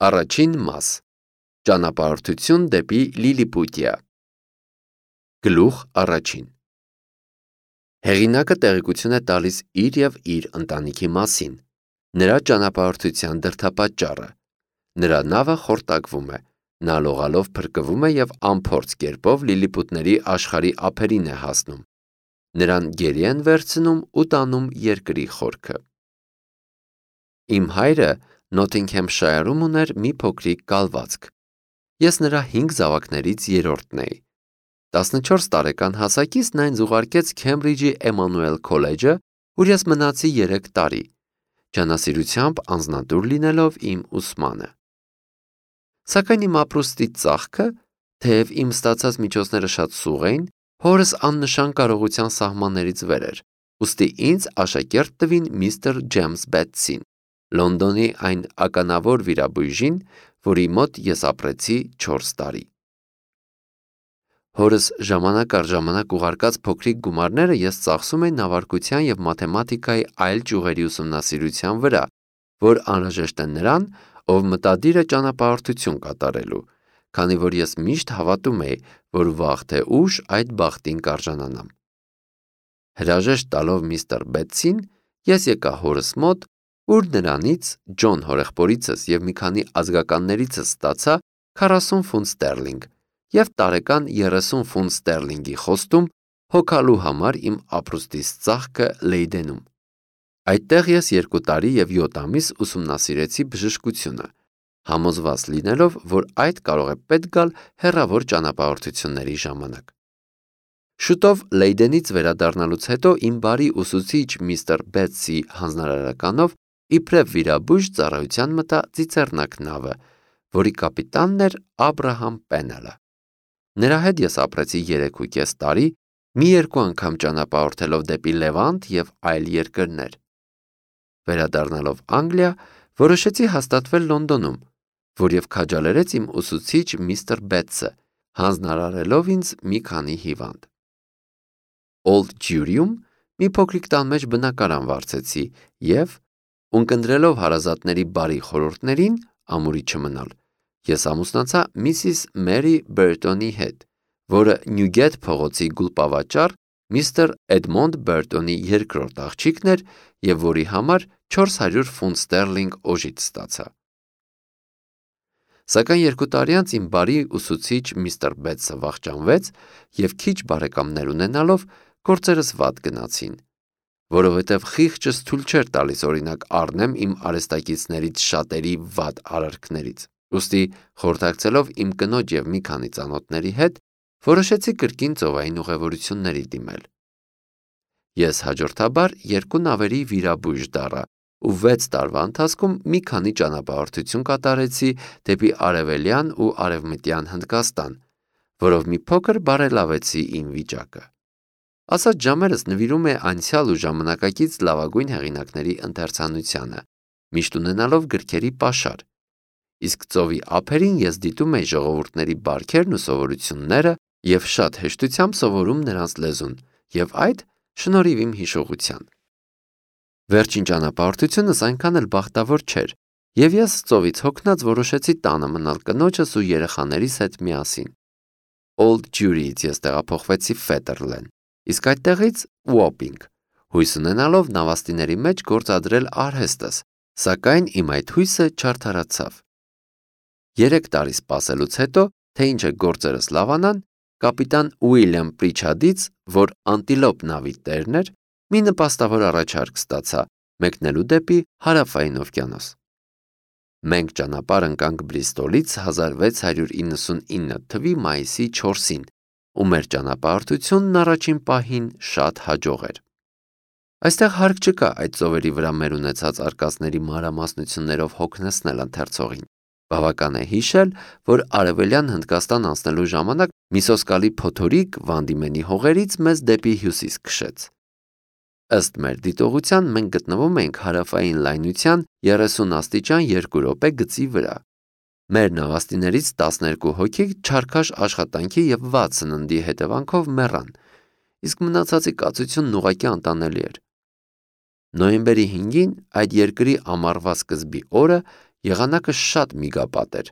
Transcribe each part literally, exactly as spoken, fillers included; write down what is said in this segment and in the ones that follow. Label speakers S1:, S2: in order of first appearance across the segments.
S1: Առաջին մաս. Ճանապարհորդություն դեպի Լիլիպուտիա։ Գլուխ առաջին։ Հեղինակը տեղեկություն է տալիս իր և իր ընտանիքի մասին, նրա ճանապարհորդության դրդապատճառը։ Նրա նավը խորտակվում է, նա լողալով փրկվում է և անփորձ կերպով լիլիպուտների աշխարհի ափերին է հասնում։ Նրան գերի են վերցնում ու տանում երկրի խորքը։ Իմ հայրը Նոթինգհեմշայրում ուներ մի փոքրիկ կալվածք։ Ես նրա հինգ զավակներից երրորդն էի։ տասնչորս տարեկան հասակից նա ինձ ուղարկեց Քեմբրիջի Էմանուել քոլեջը, ուր ես մնացի երեք տարի, ջանասիրությամբ անձնատուր լինելով իմ ուսմանը։ Սակայն իմ ապրուստի ծախքը, թեև իմ ստացած միջոցները շատ սուղ էին, հորս աննշան կարողության սահմաններից վեր էր, ուստի ինձ աշակերտ տվին միստր Ջեյմս Բեթսին, Լոնդոնի այն ականավոր վիրաբույժին, որի մոտ ես ապրեցի չորս տարի։ Հորս ժամանակ առ ժամանակ ուղարկած փոքրիկ գումարները ես ծախսում էի նավարկության և մաթեմատիկայի այլ ճյուղերի ուսումնասիրության վրա, որ անհրաժեշտ է նրան, ով մտադիր է ճանապարհորդություն կատարելու, քանի որ ես միշտ հավատում էի, որ վաղ թե ուշ այդ բախտին կարժանանամ։ Հրաժեշտ տալով միստր Բեթսին, ես եկա հորս մոտ, ուր նրանից, Ջոն հորեղբորիցս և մի քանի ազգականներիցս ստացա քառասուն ֆունտ ստերլինգ և տարեկան երեսուն ֆունտ ստերլինգի խոստում հոգալու համար իմ ապրուստիս ծախքը Լեյդենում։ Այդտեղ ես երկու տարի և յոթ ամիս ուսումնասիրեցի բժշկությունը, համոզված լինելով, որ այդ կարող է պետք գալ հեռավոր ճանապարհորդությունների ժամանակ։ Շուտով Լեյդենից վերադառնալուց հետո իմ բարի ուսուցիչ միստր Բեթսի հանձնարարականով իբրև վիրաբույժ ծառայության մտա ծիծեռնակ նավը, որի կապիտանն էր Աբրահամ Պենելը։ Նրա հետ ես ապրեցի երեք ու կես տարի, մի երկու անգամ ճանապարհորդելով դեպի Լևանտ և այլ երկրներ։ Վերադառնալով Անգլիա, որոշեցի հաստատվել Լոնդոնում, որև քաջալերեց իմ ուսուցիչ միստր Բեթսը, հանձնարարելով ինձ մի քանի հիվանդ։ Օլդ Ջյուրիում մի փոքրիկ տան մեջ բնակարան վարձեցի և, ունկնդրելով հարազատների բարի խորհուրդներին, ամուրի չմնալ, ես ամուսնացա միսիս Մերի Բերտոնի հետ, որը Նյուգեթ փողոցի գուլպավաճառ միստր Էդմոնդ Բերտոնի երկրորդ աղջիկն էր և որի համար չորս հարյուր ֆունտ ստերլինգ օժիտ ստացա։ Սակայն երկու տարի անց իմ բարի ուսուցիչ միստր Բեթսը վախճանվեց և քիչ բարեկամներ ունենալով գործերս վատ գնացին, որովհետև խիղճս թույլ չէր տալիս օրինակ առնեմ իմ արհեստակիցներից շատերի վատ արարքներից, ուստի խորհրդակցելով իմ կնոջ և մի քանի ծանոթների հետ, որոշեցի կրկին ծովային ուղևորությունների դիմել։ Ես հաջորդաբար երկու նավերի վիրաբույժ դառա ու վեց տարվա ընթացքում մի քանի ճանապարհորդություն կատարեցի դեպի Արևելյան ու Արևմտյան Հնդկաստան, որով մի փոքր բարելավեցի իմ վիճակը։ Ասած ժամերս նվիրում է անցյալ ու ժամանակակից լավագույն հեղինակների ընթերցանությանը, միշտ ունենալով գրքերի պաշար, իսկ ծովի ափերին ես դիտում էի ժողովուրդների բարքերն ու սովորությունները և շատ հեշտությամբ սովորում նրանց լեզուն, և այդ շնորհիվ իմ հիշողության։ Վերջին ճանապարհորդությունս այնքան էլ բախտավոր չէր, և ես ծովից հոգնած որոշեցի տանը մնալ կնոջս ու երեխաներիս հետ միասին։ Օլդ Ջյուրիից ես տեղափոխվեցի Ֆետերլեն, իսկ այդտեղից Ուոպինգ, հույս ունենալով նավաստիների մեջ գործադրել արհեստս, սակայն իմ այդ հույսը չարդարացավ։ Երեք տարի սպասելուց հետո, թե ինչ է գործերս լավանան, կապիտան Ուիլյամ Պրիչարդից, որ Անտիլոպ նավի տերն էր, մի նպաստավոր առաջարկ ստացա մեկնելու դեպի Հարավային օվկիանոս։ Մենք ճանապարհ ընկանք Բրիստոլից հազար վեց հարյուր իննսունինը թվականի մայիսի չորսին, ու մեր ճանապարհորդությունն առաջին պահին շատ հաջող էր։ Այստեղ հարկ չկա այդ ծովերի վրա մեր ունեցած արկածների մանրամասնություններով հոգնեցնել ընթերցողին։ Բավական է հիշել, որ Արևելյան Հնդկաստան անցնելու ժամանակ մի սոսկալի փոթորիկ Վանդիմենի հողերից մեզ դեպի հյուսիս քշեց։ Ըստ մեր դիտողության մենք գտնվում էինք հարավային լայնության երեսուն աստիճան երկու րոպե գծի վրա։ Մեր նավաստիներից տասներկու հոգի չարքաշ աշխատանքի և վատ սննդի հետևանքով մեռան, իսկ մնացածի կացությունն ուղղակի անտանելի էր։ Նոյեմբերի հինգին այդ երկրի ամառվա սկզբի օրը Եղանակը շատ միգապատ էր,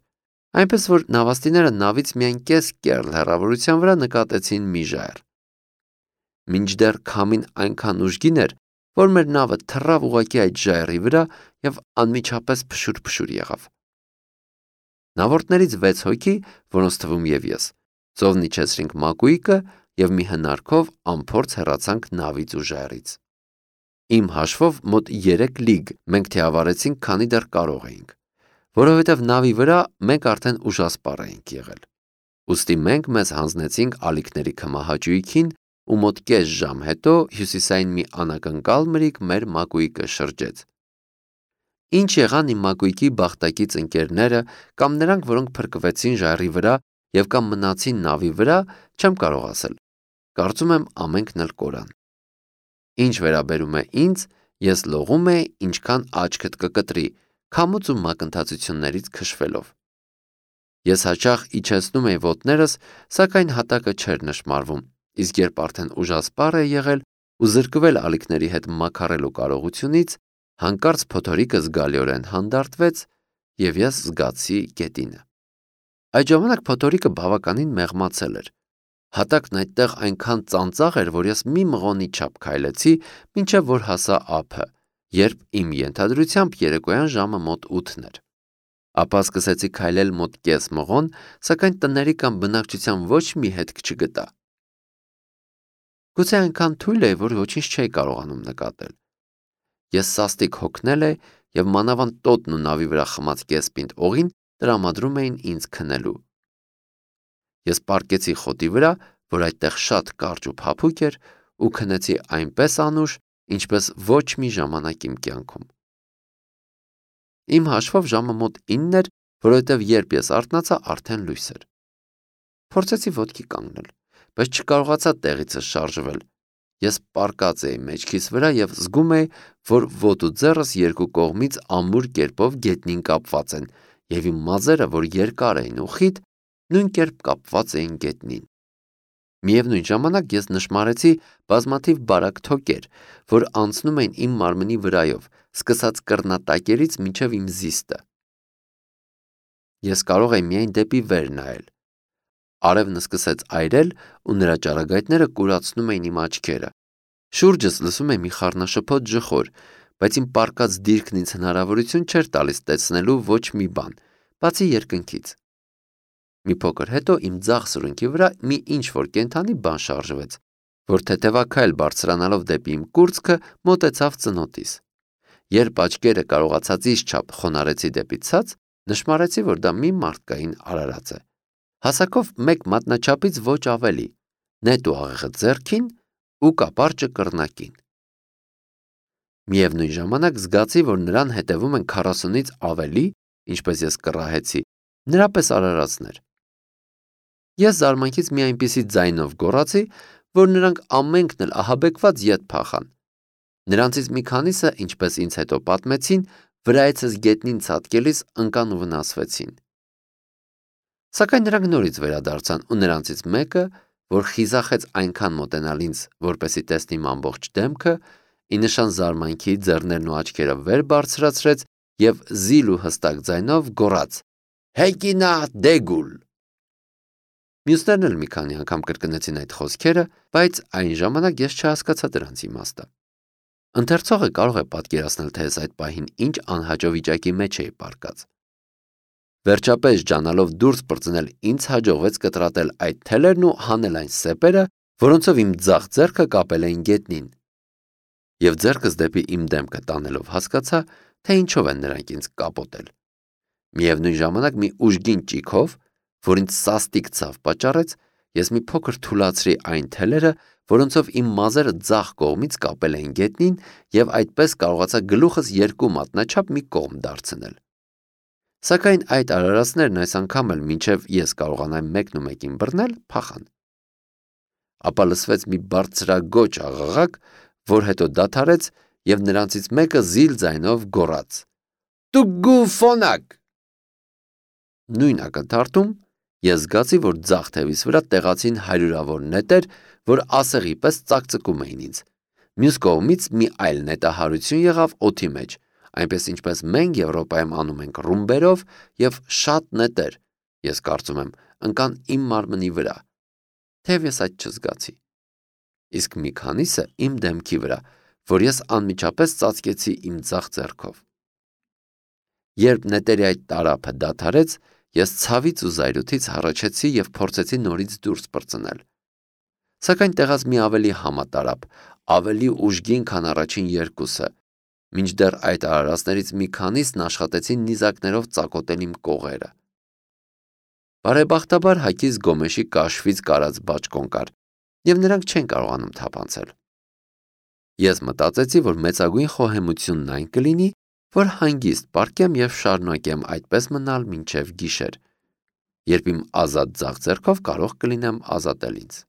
S1: այնպես որ նավաստիները նավից միայն կես կեռլ հեռավորության վրա նկատեցին մի ժայռ։ Մինչդեռ քամին այնքան ուժգին էր, որ մեր նավը թռավ ուղղակի այդ ժայռի վրա և անմիջապես փշուր-փշուր եղավ։ Նավորդներից վեց հոգի, որոնց թվում և ես, ծովն իջեցրինք մակույկը և մի հնարքով անփորձ հեռացանք նավից ու ժայռից։ Իմ հաշվով մոտ երեք լիգ մենք թիավարեցինք, քանի դեռ կարող էինք, որովհետև նավի վրա մենք արդեն ուժասպառ էինք եղել։ Ուստի մենք մեզ հանձնեցինք ալիքների քմահաճույքին ու մոտ կես ժամ հետո հյուսիսային մի անակնկալ մրրիկ մեր մակույկը շրջեց։ Ինչ եղան իմ մակույկի բախտակից ընկերները կամ նրանք, որոնք փրկվեցին ժայռի վրա և կամ մնացին նավի վրա, չեմ կարող ասել։ Կարծում եմ ամենքն էլ կորան։ Ինչ վերաբերում է ինձ, ես լողում էի, ինչքան աչքդ կկտրի, քամուց ու մակընթացություններից քշվելով։ Ես հաճախ իջեցնում էի ոտներս, սակայն հատակը չէր նշմարվում, իսկ երբ արդեն ուժասպառ էի եղել ու զրկվել ալիքների հետ մաքարելու կարողությունից, հանկարծ փոթորիկը զգալիորեն հանդարտվեց և ես զգացի գետինը։ Այդ ժամանակ փոթորիկը բավականին մեղմացել էր։ Հատակն այդտեղ այնքան ծանծաղ էր, որ ես մի մղոնի չափ քայլեցի, մինչև որ հասա ափը, երբ իմ ենթադրությամբ երեկոյան ժամը մոտ ութն էր։ Ապա սկսեցի քայլել մոտ կես մղոն, սակայն տների կամ բնակչության ոչ մի հետք չգտա։ Գուցե այնքան թույլ էի, որ ոչինչ չէի կարողանում նկատել։ Ես սաստիկ հոգնել էի և մանավանդ տոտն ու նավի վրա խմած կես պինդ օղին տրամադրում էին ինձ քնելու։ Ես պառկեցի խոտի վրա, որ այդտեղ շատ կարճ ու փափուկ էր, ու քնեցի այնպես անուշ, ինչպես ոչ մի ժամանակ իմ կյանքում։ Իմ հաշվով ժամը մոտ ինն էր, որովհետև երբ ես արթնացա, արդեն լույս էր։ Փորձեցի ոտքի կանգնել, բայց չկարողացա տեղիցս շարժվել։ Ես պառկած էի մեջքիս վրա և զգում էի, որ ոտը ու ձեռս երկու կողմից ամուր կերպով գետնին կապված են, և իմ մազերը, որ երկար էին ու խիտ, նույն կերպ կապված էին գետնին։ Միևնույն ժամանակ ես նշմարեցի բազմաթիվ բարակ թոկեր, որ անցնում էին իմ մարմնի վրայով, սկսած կռնատակերից մինչև իմ զիստը։ Ես կարող էի միայն դեպի վեր նայել։ Արևն սկսեց այրել ու նրա ճառագայթները կուրացնում էին իմ աչքերը։ Շուրջս լսում էի մի խառնաշփոթ ջխոր, բայց իմ պառկած դիրքն ինձ հնարավորություն չէր տալիս տեսնելու ոչ մի բան, բացի երկնքից։ Մի փոքր հետո իմ ձախ սրունքի վրա մի ինչ-որ կենդանի բան շարժվեց, որ թեթևաքայլ բարձրանալով դեպի իմ կուրծքը մոտեցավ ծնոտիս։ Երբ աչքերը կարողացածից չափ խոնարհեցի դեպի ցած, նշմարեցի, որ դա մի մարդկային արարած է։ Հասակով մեկ մատնաչափից ոչ ավելի, նետ ու աղեղը ձեռքին ու կապարճը կռնակին։ Միևնույն ժամանակ զգացի, որ նրան հետևում են քառասունից ավելի, ինչպես ես կռահեցի, նրա պես արարածներ։ Ես զարմանքից մի այնպիսի ձայնով գոռացի, որ նրանք ամենքն էլ ահաբեկված ետ փախան։ Նրանցից մի քանիսը, ինչպես ինձ հետո պատմեցին, վրայեցս գետնին ցատկելիս ընկան ու վնասվեցին։ Սակայն նրանք նորից վերադարձան ու նրանցից մեկը, որ խիզախեց այնքան մոտենալ ինձ, որպեսզի տեսնի իմ ամբողջ դեմքը, ի նշան զարմանքի ձեռներն ու աչքերը վեր բարձրացրեց և զիլ ու հստակ ձայնով գոռաց. «Հեկինա դեգուլ»։ Մյուսներն էլ մի քանի անգամ կրկնեցին այդ խոսքերը, բայց այն ժամանակ ես չհասկացա դրանց իմաստը։ Ընթերցողը կարող է պատկերացնել, թե ես այդ պահին ինչ անհաճո վիճակի մեջ էի պառկած։ Վերջապես ջանալով դուրս պրծնել, ինձ հաջողվեց կտրատել այդ թելերն ու հանել այն սեպերը, որոնցով իմ ձախ ձեռքը կապել էին գետնին։ Եվ ձեռքս դեպի իմ դեմքը տանելով հասկացա, թե ինչով են նրանք ինձ կապոտել։ Միևնույն ժամանակ մի ուժգին ճիգով, որ ինձ սաստիկ ցավ պատճառեց, ես մի փոքր թուլացրի այն թելերը, որոնցով իմ մազերը ձախ կողմից կապել էին գետնին, և այդպես կարողացա գլուխս երկու մատնաչափ մի կողմ դարձնել։ Սակայն այդ արարածներն այս անգամ էլ մինչև ես կարողանայի մեկնումեկին բռնել, փախան։ Ապա լսվեց մի բարձրագոչ աղաղակ, որ հետո դադարեց, և նրանցից մեկը զիլ ձայնով գոռաց. «Տուգու ֆոնակ»։ Նույն ակնթարթում ես զգացի, որ ձախ թևիս վրա տեղացին հարյուրավոր նետեր, որ ասեղի պես ծակծկում էին ինձ։ Մյուս կողմից մի այլ նետահարություն եղավ օդի մեջ, այնպես ինչպես մենք Եվրոպայում անում ենք ռումբերով եւ շատ նետեր, ես կարծում եմ, ընկան իմ մարմնի վրա, թեև ես այդ չզգացի։ Իսկ մի քանիսը իմ դեմքի վրա, որ ես անմիջապես ծածկեցի իմ ձախ ձեռքով։ Երբ նետերի այդ տարափը դադարեց, ես ցավից ու զայրույթից հառաչեցի եւ փորձեցի նորից դուրս պրծնել։ Սակայն տեղած մի ավելի համատարապ, ավելի ուժգին, քան առաջին երկուսը, մինչդեռ այդ արարածներից մի քանիսն աշխատեցին նիզակներով ծակոտել իմ կողերը։ Բարեբախտաբար հակից Գոմեշի կաշվից կարած բաճկոն կար, եւ նրանք չեն կարողանում թափանցել։ Ես մտածեցի, որ մեծագույն խոհեմությունն այն կլինի, որ հանգիստ պառկեմ եւ շարունակեմ այդպես մնալ մինչեւ գիշեր, երբ իմ ազատ ձախ ձեռքով կարող կլինեմ ազատել ինձ։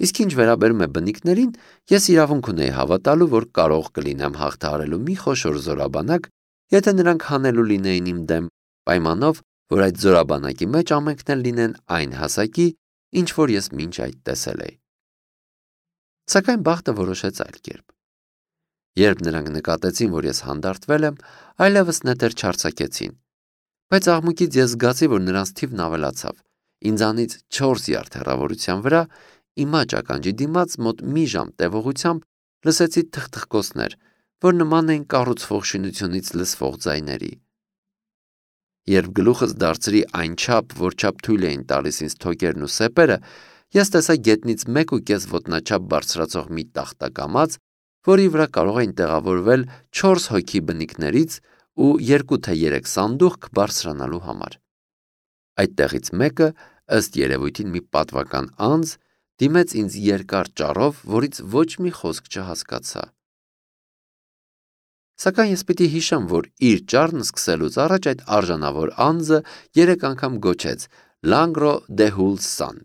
S1: Իսկ ինչ վերաբերում է բնիկներին, ես իրավունք ունեի հավատալու, որ կարող կլինեմ հաղթահարելու մի խոշոր զորաբանակ, եթե նրանք հանելու լինեին իմ դեմ, պայմանով, որ այդ զորաբանակի մեջ ամենքն էլ լինեն այն հասակի, ինչ որ ես մինչ այդ տեսել էի։ Սակայն բախտը որոշեց այլ կերպ։ Երբ նրանք նկատեցին, որ ես հանդարտվել եմ, այլևս նետեր չարձակեցին, բայց աղմուկից ես զգացի, որ նրանց թիվն ավելացավ։ Ինձանից չորս յարդ հեռավորության վրա իմ աջականջի դիմաց մոտ մի ժամ տևողությամբ լսեցի թխթխկոցներ, որ նման էին կառուցվող շինությունից լսվող ձայների։ Երբ գլուխս դարձրի այնչափ, որչափ թույլ էին տալիս ինձ թոկերն ու սեպերը, ես տեսա գետնից մեկ ու կես ոտնաչափ բարձրացող մի տախտակամած, որի վրա կարող էին տեղավորվել չորս հոգի բնիկներից ու երկու թե երեք սանդուղք բարձրանալու համար։ Այդտեղից մեկը, ըստ երևույթին մի պատվական անձ, դիմեց ինձ երկար ճառով, որից ոչ մի խոսք չհասկացա։ Սակայն ես պիտի հիշեմ, որ իր ճառն սկսելուց առաջ այդ արժանավոր անձը երեք անգամ գոչեց Langro de Hulsan։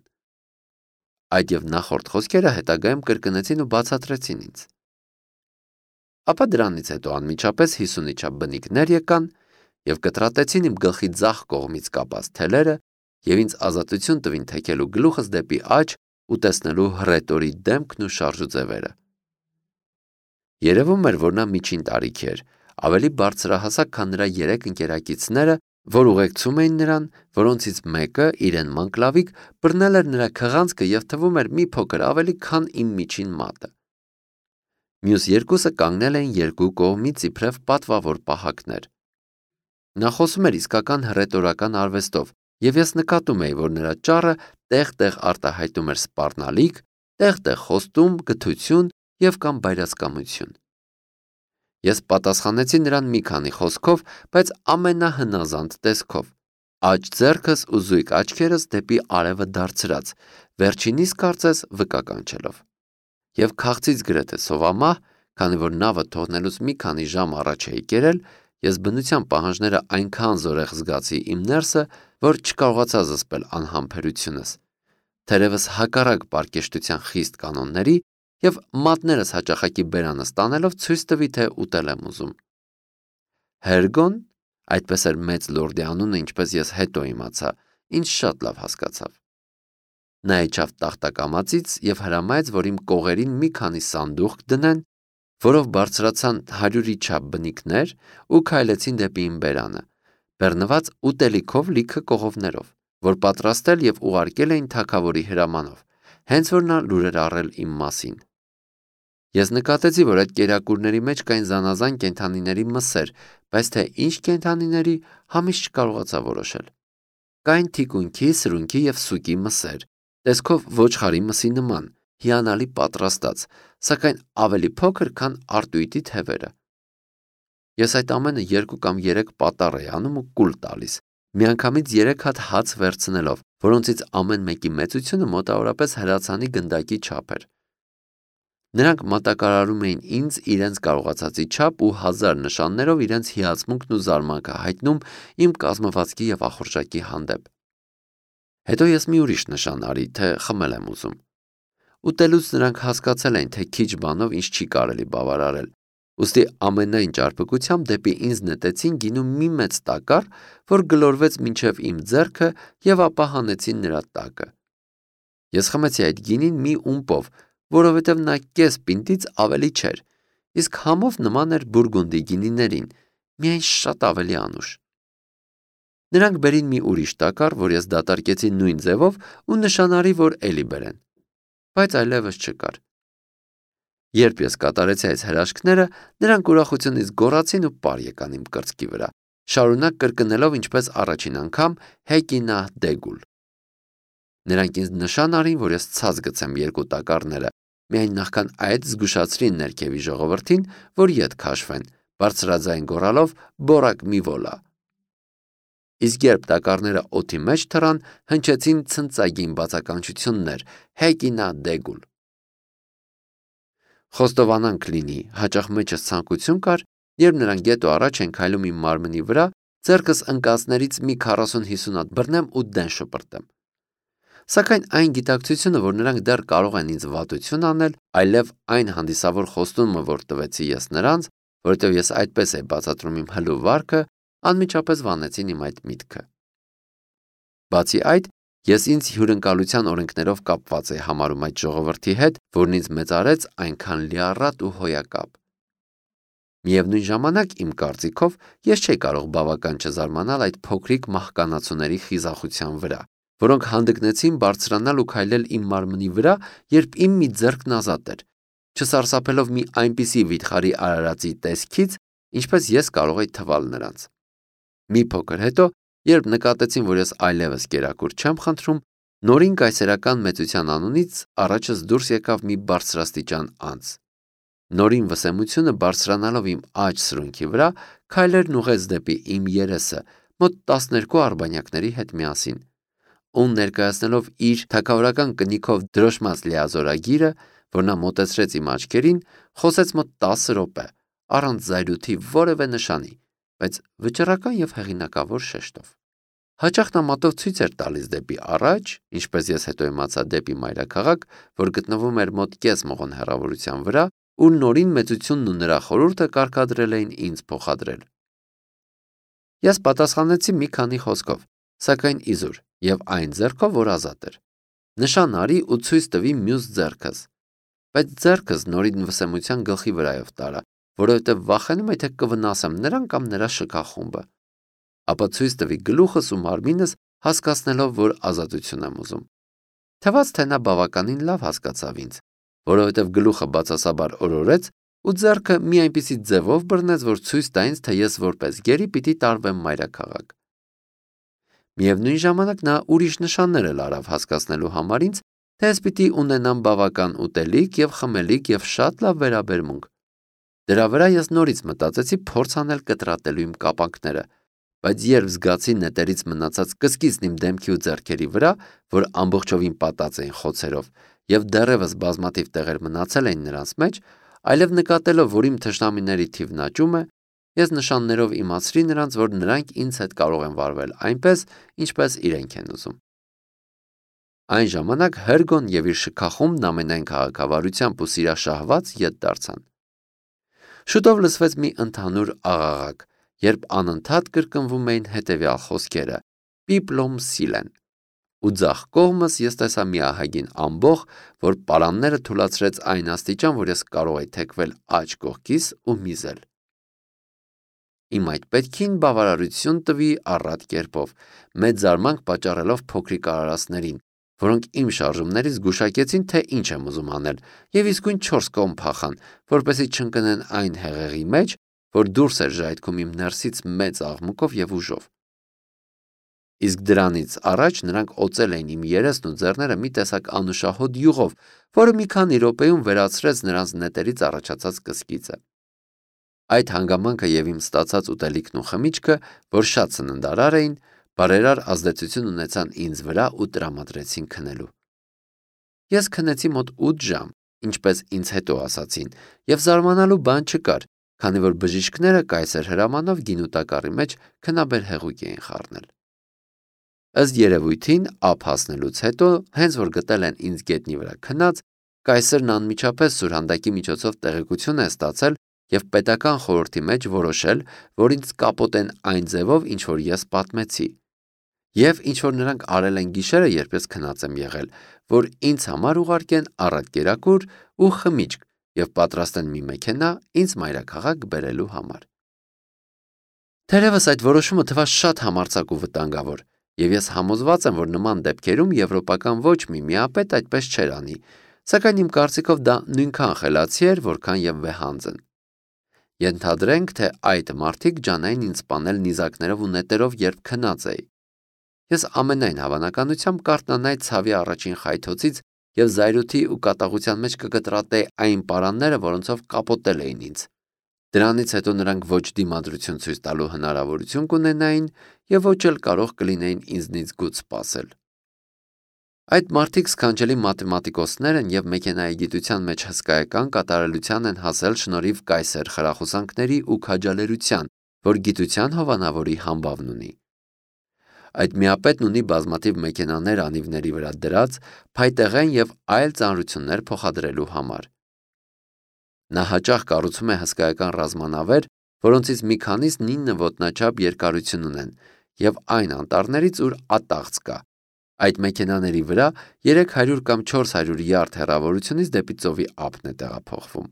S1: Այդ եւ նախորդ խոսքերը հետագայում կրկնեցին ու բացատրեցին ինձ։ Ապա դրանից հետո անմիջապես հիսունի չափ բնիկներ եկան եւ կտրատեցին իմ գլխի ձախ կողմից կապած թելերը եւ ինձ ազատություն տվին թեքելու գլուխս դեպի աջ ու տեսնելու հռետորի դեմքն ու շարժուձևերը։ Երևում էր, որ նա միջին տարիքի էր, ավելի բարձրահասակ, քան նրա երեք ընկերակիցները, որ ուղեկցում էին նրան, որոնցից մեկը, իրեն մանկլավիկ, բռնել էր նրա քղանցքը եւ թվում էր մի փոքր ավելի, քան իմ միջին մատը։ Մյուս երկուսը կանգնել էին երկու կողմից իբրև պատվավոր պահակներ։ Նա խոսում էր իսկական հռետորական արվեստով, եւ ես նկատում էի, որ նրա ճառը տեղ-տեղ արտահայտում էր սպառնալիք, տեղ-տեղ խոստում, գթություն եւ կամ բայրացկամություն։ Ես պատասխանեցի նրան մի քանի խոսքով, բայց ամենահնազանդ տեսքով, աջ ձեռքս ու զույգ աչքերս դեպի արևը դարձրած, վերջինիս կարծես վկա կանչելով։ Եվ քաղցից գրեթե սովամահ, քանի որ նավը թողնելուց մի քանի ժամ առաջ էի կերել, ես բնության պահանջները այնքան զորեղ զգացի իմ ներսը, որ չկարողացա զսպել անհամբերությունս, թերևս հակառակ պարկեշտության խիստ կանոնների եւ մատներս հաճախակի բերանս տանելով ցույց տվի, թե ուտել եմ ուզում։ Հերգոն, այդպես էր մեծ լորդի անունը, ինչպես ես հետո իմացա, ինձ շատ լավ հասկացավ։ Նա իջավ տախտակամածից եւ հրամայեց, որ իմ կողերին մի քանի սանդուղք դնեն, որով բարձրացան հարյուրի չափ բնիկներ ու քայլեցին դեպի իմ բերանը, բեռնված ուտելիքով լիքը կողովներով, որ պատրաստել եւ ուղարկել էին թագավորի հրամանով, հենց որ նա լուր էր առել իմ մասին։ Ես նկատեցի, որ այդ կերակուրների մեջ կային զանազան կենդանիների մսեր, բայց թե ինչ կենդանիների, համիստ չկարողացա որոշել։ Կային թիկունքի, սրունքի եւ սուկի մսեր, տեսքով ոչխարի մսի նման, հիանալի պատրաստած, սակայն ավելի փոքր, քան արտույտի թևերը։ Ես այդ ամենը երկու կամ երեք պատառ էի անում ու կուլ տալիս, միանգամից երեք հատ հաց վերցնելով, որոնցից ամեն մեկի մեծությունը մոտավորապես հրացանի գնդակի չափ էր։ Նրանք մատակարարում էին ինձ իրենց կարողացածի չափ ու հազար նշաններով իրենց հիացմունքն ու զարմանքը հայտնում իմ կազմվածքի եւ ախորժակի հանդեպ։ Հետո ես մի ուրիշ նշան արի, թե խմել եմ ուզում։ Ուտելուց նրանք հասկացել էին, թե քիչ բանով ինձ չի կարելի բավարարել, ուստի ամենայն ճարպկությամբ դեպի ինձ նետեցին գինու մի մեծ տակառ, որ գլորվեց մինչև իմ ձեռքը եւ ապա հանեցին նրա տակը։ Ես խմեցի այդ գինին մի ումպով, որովհետև նա կես պինտից ավելի չէր, իսկ համով նման էր բուրգունդի գինիներին, միայն շատ ավելի անուշ։ Նրանք բերին մի ուրիշ տակառ, որ ես դատարկեցի նույն ձևով ու նշանարի, որ էլի բերեն, բայց այլևս չկար։ Երբ ես կատարեցի այս հրաշքները, նրանք ուրախությունից գոռացին ու պար եկան իմ կրծքի վրա, շարունակ կրկնելով ինչպես առաջին անգամ Հեկինա դեգուլ։ Նրանք ինձ նշան արին, որ ես ցած գցեմ երկու տակառները, միայն նախքան այդ զգուշացրին ներքևի ժողովրդին, որ ետ քաշվեն, բարձրաձայն գոռալով «Բորակ մի վոլա»։ Իսկ երբ տակառները օդի մեջ թռան, հնչեցին ցնծագին բացականչություններ «Հեկինա դեգուլ»։ Խոստովանանք լինի, հաճախ մեջս ցանկություն կար, երբ նրանք գետո առաջ են քայլում իմ մարմնի վրա, ձեռքս ընկածներից մի քառասուն-հիսուն հատ բռնեմ ու դեն շպրտեմ։ Սակայն այն գիտակցությունը, որ նրանք դեռ կարող են ինձ վատություն անել, այլև այն հանդիսավոր խոստումը, որ տվեցի ես նրանց, որովհետև ես այդպես էի բացատրում իմ հլու վարքը, անմիջապես վանեցին իմ այդ միտքը։ Բացի այդ, ես ինձ հյուրընկալության օրենքներով կապված էի համարում այդ ժողովրդի հետ, որն ինձ մեծարեց այնքան լիառատ ու հոյակապ։ Միևնույն ժամանակ, իմ կարծիքով, ես չէի կարող բավական չզարմանալ այդ փոքրիկ մահկանացուների խիզախության վրա, որոնք հանդգնեցին բարձրանալ ու քայլել իմ մարմնի վրա, երբ իմ մի ձեռքն ազատ էր, չսարսափելով մի այնպիսի վիթխարի արարածի տեսքից, ինչպես ես կարող էի թվալ նրանց։ Մի փոքր հետո, երբ նկատեցին, որ ես այլևս կերակուր չեմ խնդրում, նորին կայսերական մեծության անունից առաջս դուրս եկավ մի բարձրաստիճան անձ։ Նորին վսեմությունը բարձրանալով իմ աջ սրունքի վրա, քայլերն ուղեց դեպի իմ երեսը, մոտ տասներկու արբանյակների հետ միասին, ու ներկայացնելով իր թագավորական կնիքով դրոշմած լիազորագիրը, որ նա մոտեցրեց իմ աչքերին, խոսեց մոտ տասը րոպե, առանց զայրույթի որևէ նշանի, բայց վճռական և հեղինակավոր շեշտով։ Հաճախ նա մատով ցույց էր տալիս դեպի առաջ, ինչպես ես հետո իմացա դեպի մայրաքաղաք, որ գտնվում էր մոտ կես մղոն հեռավորության վրա, ու նորին մեծությունն ու նրա խորհուրդը կարգադրել էին ինձ փոխադրել։ Ես պատասխանեցի մի քանի խոսքով, սակայն իզուր, և այն ձեռքով, որ ազատ էր։ Նշան արի ու ցույց տվի մյուս ձեռքս, բայց ձեռքս նորին վսեմության գլխի վրայով տարա, որովհետև վախենում էի, թե կվնասեմ նրան կամ նրա շքախումբը, ապա ցույց տվի գլուխս ու մարմինս, հասկացնելով, որ ազատություն եմ ուզում։ Թվաց, թե նա բավականին լավ հասկացավ ինձ, որովհետև գլուխը բացասաբար օրորեց ու ձեռքը մի այնպիսի ձևով բռնեց, որ ցույց տա ինձ, թե ես որպես գերի պիտի տարվեմ մայրաքաղաք։ Միևնույն ժամանակ նա ուրիշ նշաններ էլ արավ հասկացնելու համար ինձ, թե ես պիտի ունենամ բավական ուտելիք և խմելիք և շատ լավ վերաբերմունք։ Դրա վրա ես նորից մտածեցի փորձ անել կտրատելու իմ կապանքները, բայց երբ զգացի նետերից մնացած կսկիծն իմ դեմքի ու ձեռքերի վրա, որ ամբողջովին պատած էին խոցերով, և դեռևս բազմաթիվ տեղեր մնացել էին նրանց մեջ, այլև նկատելով, որ իմ թշնամիների թիվն աճում է, ես նշաններով իմացրի նրանց, որ նրանք ինձ հետ կարող են վարվել այնպես, ինչպես իրենք են ուզում։ Այն ժամանակ Հերգոն և իր շքախումբն ամենայն քաղաքավարությամբ ու սիրաշահված ետ դարձան։ Շուտով լսվեց մի ընդհանուր աղաղակ, երբ անընդհատ կրկնվում էին հետևյալ խոսքերը. «Պիպլոմ սիլեն», ու ձախ կողմս ես տեսա մի ահագին ամբոխ, որ պարանները թուլացրեց այն աստիճան, որ ես կարող էի թեքվել աջ կողքիս ու միզել։ Իմ այդ պետքին բավարարություն տվի առատ կերպով, մեծ զարմանք պատճառելով փոքրիկ արարածներին, որոնք իմ շարժումներից զգուշակեցին, թե ինչ եմ ուզում անել, և իսկույն չորս կողմ փախան, որպեսզի չընկնեն այն հեղեղի մեջ, որ դուրս էր ժայթքում իմ ներսից մեծ աղմուկով և ուժով։ Իսկ դրանից առաջ նրանք օծել էին իմ երեսն ու ձեռները մի տեսակ անուշահոտ յուղով, որը մի քանի րոպեում վերացրեց նրանց նետերից առաջացած կսկիծը։ Այդ հանգամանքը և իմ ստացած ուտելիքն ու խմիչքը, որ շատ սննդարար էին, բարերար ազդեցություն ունեցան ինձ վրա ու տրամադրեցին քնելու։ Ես քնեցի մոտ ութ ժամ, ինչպես ինձ հետո ասացին, և զարմանալու բան չկար, քանի որ բժիշկները կայսեր հրամանով գինու տակառի մեջ քնաբեր հեղուկ էին խառնել։ Ըստ երևույթին, ափ հասնելուց հետո, հենց որ գտել են ինձ գետնի վրա քնած, կայսերն անմիջապես սուրհանդակի միջոցով տեղեկություն է ստացել և պետական խորհրդի մեջ որոշել, որ ինձ կապոտեն այն ձևով, ինչ որ ես պատմեցի, և ինչ որ նրանք արել են գիշերը, երբ ես քնած եմ եղել, որ ինձ համար ուղարկեն առատ կերակուր ու խմիչք, և պատրաստ են մի մեքենա ինձ մայրաքաղաք բերելու համար։ Թերևս այդ որոշումը թվաց շատ համարձակ ու վտանգավոր, և ես համոզված եմ, որ նման դեպքերում եվրոպական ոչ մի միապետ այդպես չէր անի, սակայն իմ կարծիքով դա նույնքան խելացի էր, որքան և վեհանձն։ Ենթադրենք, թե այդ մարդիկ ջանային ինձ սպանել նիզակներով ու նետերով, երբ քնած էի։ Ես ամենայն հավանականությամբ կարթնանայի ցավի առաջին խայթոցից և զայրույթի ու կատաղության մեջ կկտրատեի այն պարանները, որոնցով կապոտել էին ինձ։ Դրանից հետո նրանք ոչ դիմադրություն ցույց տալու հնարավորություն կունենային և ոչ էլ կարող կլինեին ինձնից գութ սպասել։ Այդ մարդիկ սքանչելի մաթեմատիկոսներ են և մեքենայագիտության մեջ հսկայական կատարելության են հասել շնորհիվ կայսեր խրախուսանքների ու քաջալերության, որ գիտության հովանավորի համբավն ունի։ Այդ միապետն ունի բազմաթիվ մեքենաներ անիվների վրա դրած, փայտեղեն և այլ ծանրություններ փոխադրելու համար։ Նա հաճախ կառուցում է հսկայական ռազմանավեր, որոնցից մի քանիսն ինը ոտնաչափ երկարություն ունեն, և այն անտառներից, ուր ատաղձ կա։ Այդ մեքենաների վրա երեք հարյուր կամ չորս հարյուր յարդ հեռավորությունից դեպի ծովի ափն է տեղափոխվում։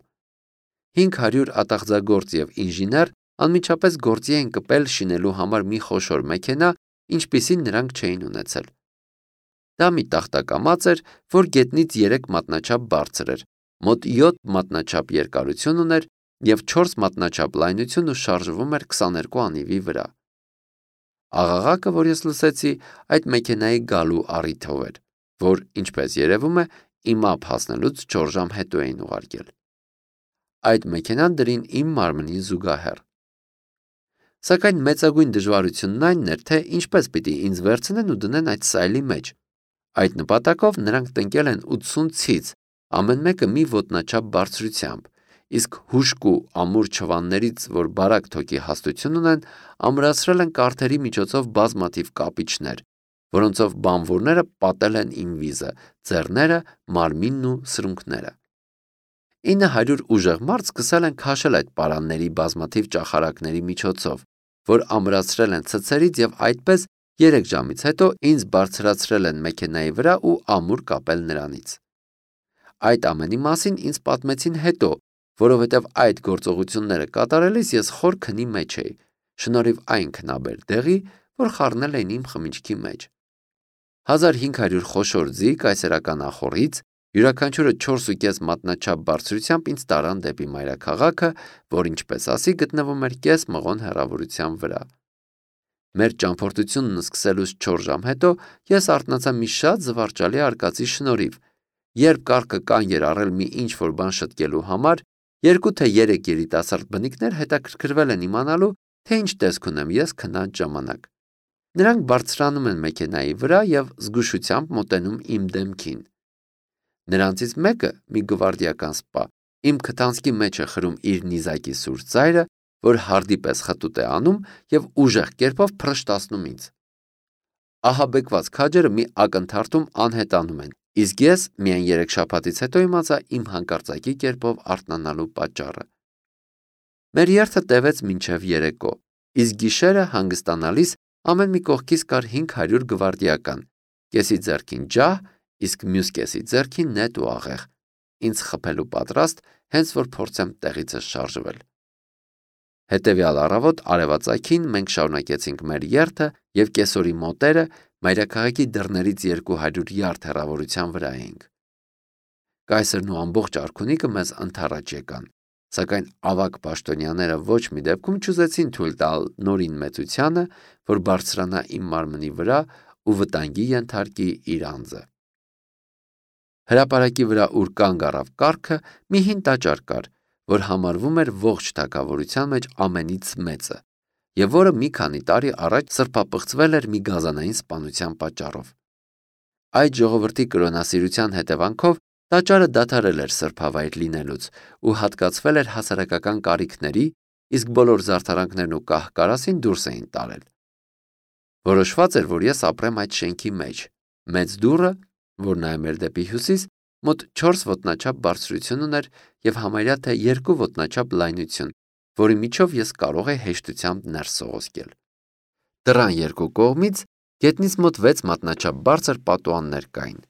S1: Հինգ հարյուր ատաղձագործ և ինժեներ անմիջապես գործի են կպել շինելու համար մի խոշոր մեքենա, ինչպիսին նրանք չէին ունեցել։ Դա մի տախտակամած էր, որ գետնից երեք մատնաչափ բարձր էր, մոտ յոթ մատնաչափ երկարություն ուներ և չորս մատնաչափ լայնություն ու շարժվում էր քսաներկու անիվի վրա։ Աղաղակը, որ ես լսեցի, այդ մեքենայի գալու առիթով էր, որ, ինչպես երևում է, իմ ափ հասնելուց չորս ժամ հետո էին ուղարկել։ Այդ մեքենան դրին իմ մարմնին զուգահեռ։ Սակայն մեծագույն դժվարությունն այնն էր, թե ինչպես պիտի ինձ վերցնեն ու դնեն այդ սայլի մեջ։ Այդ նպատակով նրանք տնկել են ութսուն ցից, ամեն մեկը մի ոտնաչափ բարձրությամբ, իսկ հուժկու ամուր չվաններից, որ բարակ թոքի հաստություն ունեն, ամրացրել են կարթերի միջոցով բազմաթիվ կապիչներ, որոնցով բանվորները պատել են իմ վիզը, ձեռները, մարմինն ու սրունքները։ ինը հարյուր ուժեղ մարդ սկսել են քաշել այդ պարանների բազմաթիվ ճախարակների միջոցով, որ ամրացրել են ցցերից և այդպես երեք ժամից հետո ինձ բարձրացրել են մեքենայի վրա ու ամուր կապել նրանից։ Այդ ամենի մասին ինձ պատմեցին հետո, որովհետև այդ գործողությունները կատարելիս ես խոր քնի մեջ էի, շնորհիվ այն քնաբեր դեղի, որ խառնել էին իմ խմիչքի մեջ։ հազար հինգ հարյուր խոշոր ձի կայսերական ախոռից, յուրաքանչյուրը չորս ու կես մատնաչափ բարձրությամբ ինձ տարան դեպի մայրաքաղաքը, որ, ինչպես ասի, գտնվում էր կես մղոն հեռավորության վրա։ Մեր ճամփորդությունն սկսելուց չորս ժամ հետո ես արթնացա մի շատ զվարճալի արկածի շնորհիվ, երբ կառքը կանգ էր առել մի ինչ-որ բան շտկելու համար, երկու թե երեք երիտասարդ բնիկներ հետաքրքրվել են իմանալու, թե ինչ տեսք ունեմ ես քնած ժամանակ։ Նրանք բարձրանում են մեքենայի վրա և զգուշությամբ մոտենում իմ դեմքին։ Նրանցից մեկը, մի գվարդիական սպա, իմ քթանցքի մեջ է խրում իր նիզակի սուր ծայրը, որ հարդի պես խտուտ է անում և ուժեղ կերպով փռշտացնում ինձ։ Ահաբեկված քաջերը մի ակնթարթում անհետանում են, իսկ ես միայն երեք շաբաթից հետո իմացա իմ հանկարծակի կերպով արթնանալու պատճառը։ Մեր երթը տևեց մինչև երեկո, իսկ գիշերը հանգստանալիս ամեն մի կողքից կար հինգ հարյուր գվարդիական, կեսի ձեռքին ջահ, իսկ մյուս կեսի ձեռքին նետ ու աղեղ, ինձ խփելու պատրաստ, հենց որ փորձեմ տեղիցս շարժվել։ Հետևյալ առավոտ արևածագին մենք շարունակեցինք մեր երթը և կեսօրի մոտերը մայրաքաղաքի դռներից երկու հարյուր յարդ հեռավորության վրա էինք։ Կայսերն ու ամբողջ արքունիքը մեզ ընդառաջ եկան, սակայն ավագ պաշտոնյաները ոչ մի դեպքում չուզեցին թույլ տալ նորին մեծությանը, որ բարձրանա իմ մարմնի վրա ու վտանգի ենթարկի իր անձը։ Հրապարակի վրա, ուր կանգ առավ կառքը, մի հին տաճար կար, որ համարվում էր ողջ թագավորության մեջ ամենից մեծը, և որը մի քանի տարի առաջ սրբապղծվել էր մի գազանային սպանության պատճառով։ Այդ ժողովրդի կրոնասիրության հետևանքով տաճարը դադարել էր սրբավայր լինելուց ու հատկացվել էր հասարակական կարիքների, իսկ բոլոր զարդարանքներն ու կահ-կարասին դուրս էին տարել։ Որոշված էր, որ ես ապրեմ այդ շենքի մեջ։ Մեծ դուռը, որ նայում էր դեպի հյուսիս, մոտ չորս ոտնաչափ բարձրություն ուներ և համարյա թե երկու ոտնաչափ լայնություն, որի միջով ես կարող էի հեշտությամբ ներս սողոսկել։ Դռան երկու կողմից գետնից մոտ վեց մատնաչափ բարձր պատուհաններ կային։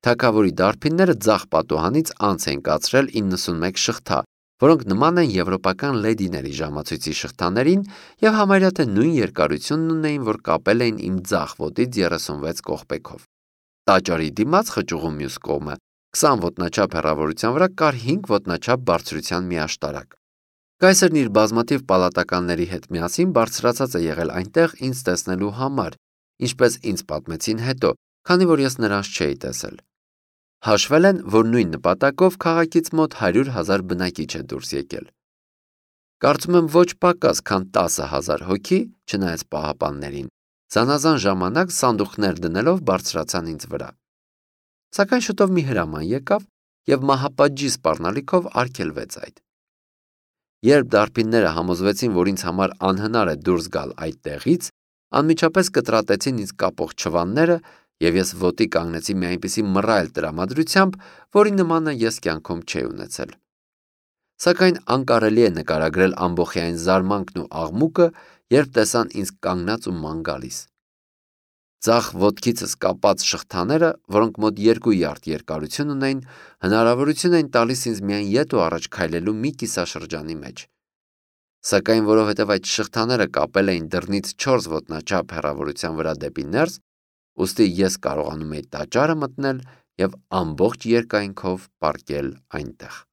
S1: Թագավորի դարբինները ձախ պատուհանից անց են կացրել իննսունմեկ շղթա, որոնք նման են եվրոպական լեդիների ժամացույցի շղթաներին եւ համարյա թե նույն երկարությունն ունեին, որ կապել էին իմ ձախ ոտից երեսունվեց կողպեքով։ Տաճարի դիմաց խճուղու մյուս կողմը քսան ոտնաչափ հեռավորության վրա կար հինգ ոտնաչափ բարձրության մի աշտարակ։ Կայսրն իր բազմաթիվ պալատականների հետ միասին բարձրացած է եղել այնտեղ ինձ տեսնելու համար, ինչպես ինձ պատմեցին հետո, քանի որ ես նրանց չէի տեսել։ Հաշվել են, որ նույն նպատակով քաղաքից մոտ հարյուր հազար բնակիչ է դուրս եկել։ Կարծում եմ ոչ պակաս, քան տասը հազար հոգի, չնայած պահապաններին, զանազան ժամանակ սանդուղքներ դնելով բարձրացան ինձ վրա։ Սակայն շուտով մի հրաման եկավ եւ մահապատժի սպառնալիքով արգելվեց այդ։ Երբ դարբինները համոզվեցին, որ ինձ համար անհնար է դուրս գալ այդտեղից, անմիջապես կտրատեցին ինձ կապող չվանները եւ ես ոտի կանգնեցի մի այնպիսի մռայլ տրամադրությամբ, որի նմանը ես կյանքում չէի ունեցել։ Սակայն անկարելի է նկարագրել ամբողջային զարմանքն ու աղմուկը, երբ տեսան ինձ կանգնած ու ման գալիս։ Ձախ ոտքիցս կապած շղթաները, որոնք մոտ երկու յարդ երկարություն ունեին, հնարավորություն էին տալիս ինձ միայն ետ ու առաջ քայլելու մի կիսաշրջանի մեջ։ Սակայն որովհետև այդ շղթաները կապել էին դռնից չորս ոտնաչափ հեռավորության վրա դեպի ներս, ուստի ես կարողանում էի տաճարը մտնել եւ ամբողջ երկայնքով պառկել այնտեղ։